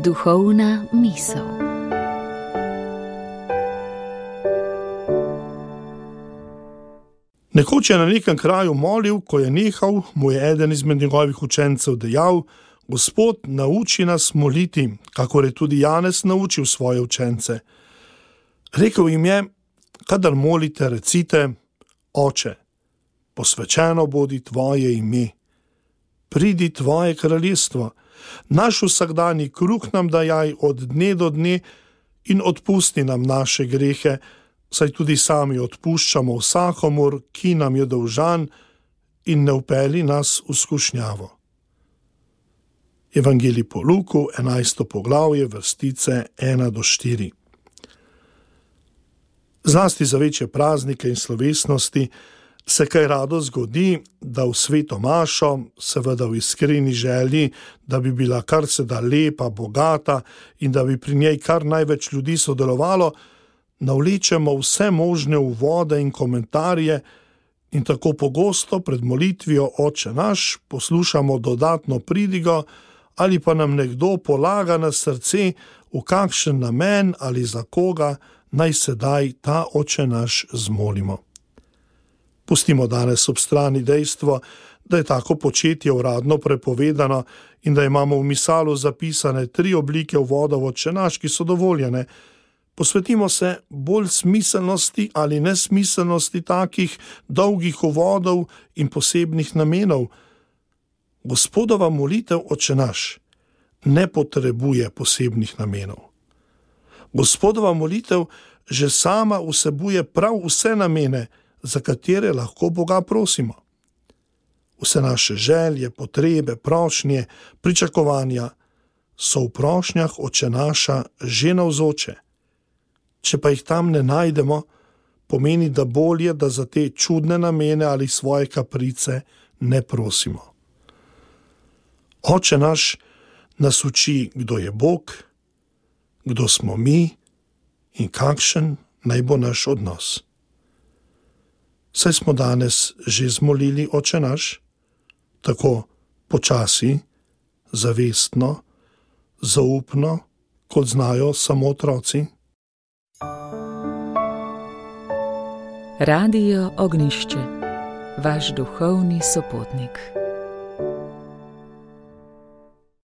Duhovna misel. Nekoč je na nekem kraju molil, ko je nehal, mu je eden izmed njegovih učencev dejal: Gospod, nauči nas moliti, kakor je tudi Janez naučil svoje učence. Rekel jim je: kadar molite, recite: Oče, posvečeno bodi tvoje ime, pridi tvoje kraljestvo, naš vsakdanji kruh nam dajaj od dne do dne in odpusti nam naše grehe, saj tudi sami odpuščamo vsakomur, ki nam je dolžan, in ne vpelji nas v skušnjavo. Evangelij po Luku, 11. poglavje, vrstice 1-4. Zlasti za večje praznike in slovesnosti se kaj rado zgodi, da v sveto mašo, seveda v iskreni želji, da bi bila kar se da lepa, bogata in da bi pri njej kar največ ljudi sodelovalo, navlečemo vse možne uvode in komentarje in tako pogosto pred molitvijo Oče naš poslušamo dodatno pridigo ali pa nam nekdo polaga na srce, v kakšen namen ali za koga naj sedaj ta Oče naš zmolimo. Pustimo danes ob strani dejstvo, da je tako početje uradno prepovedano in da imamo v misalu zapisane 3 oblike uvoda v Oče naš, ki so dovoljene. Posvetimo se bolj smiselnosti ali nesmiselnosti takih dolgih uvodov in posebnih namenov. Gospodova molitev Oče naš ne potrebuje posebnih namenov. Gospodova molitev že sama vsebuje prav vse namene, za katere lahko Boga prosimo. Vse naše želje, potrebe, prošnje, pričakovanja so v prošnjah Oče naša že navzoče. Če pa jih tam ne najdemo, pomeni, da bolje, da za te čudne namene ali svoje kaprice ne prosimo. Oče naš nas uči, kdo je Bog, kdo smo mi in kakšen naj bo naš odnos. Saj smo danes že zmolili Oče naš, tako počasi, zavestno, zaupno, kot znajo samo otroci. Radio Ognjišče, vaš duhovni sopotnik.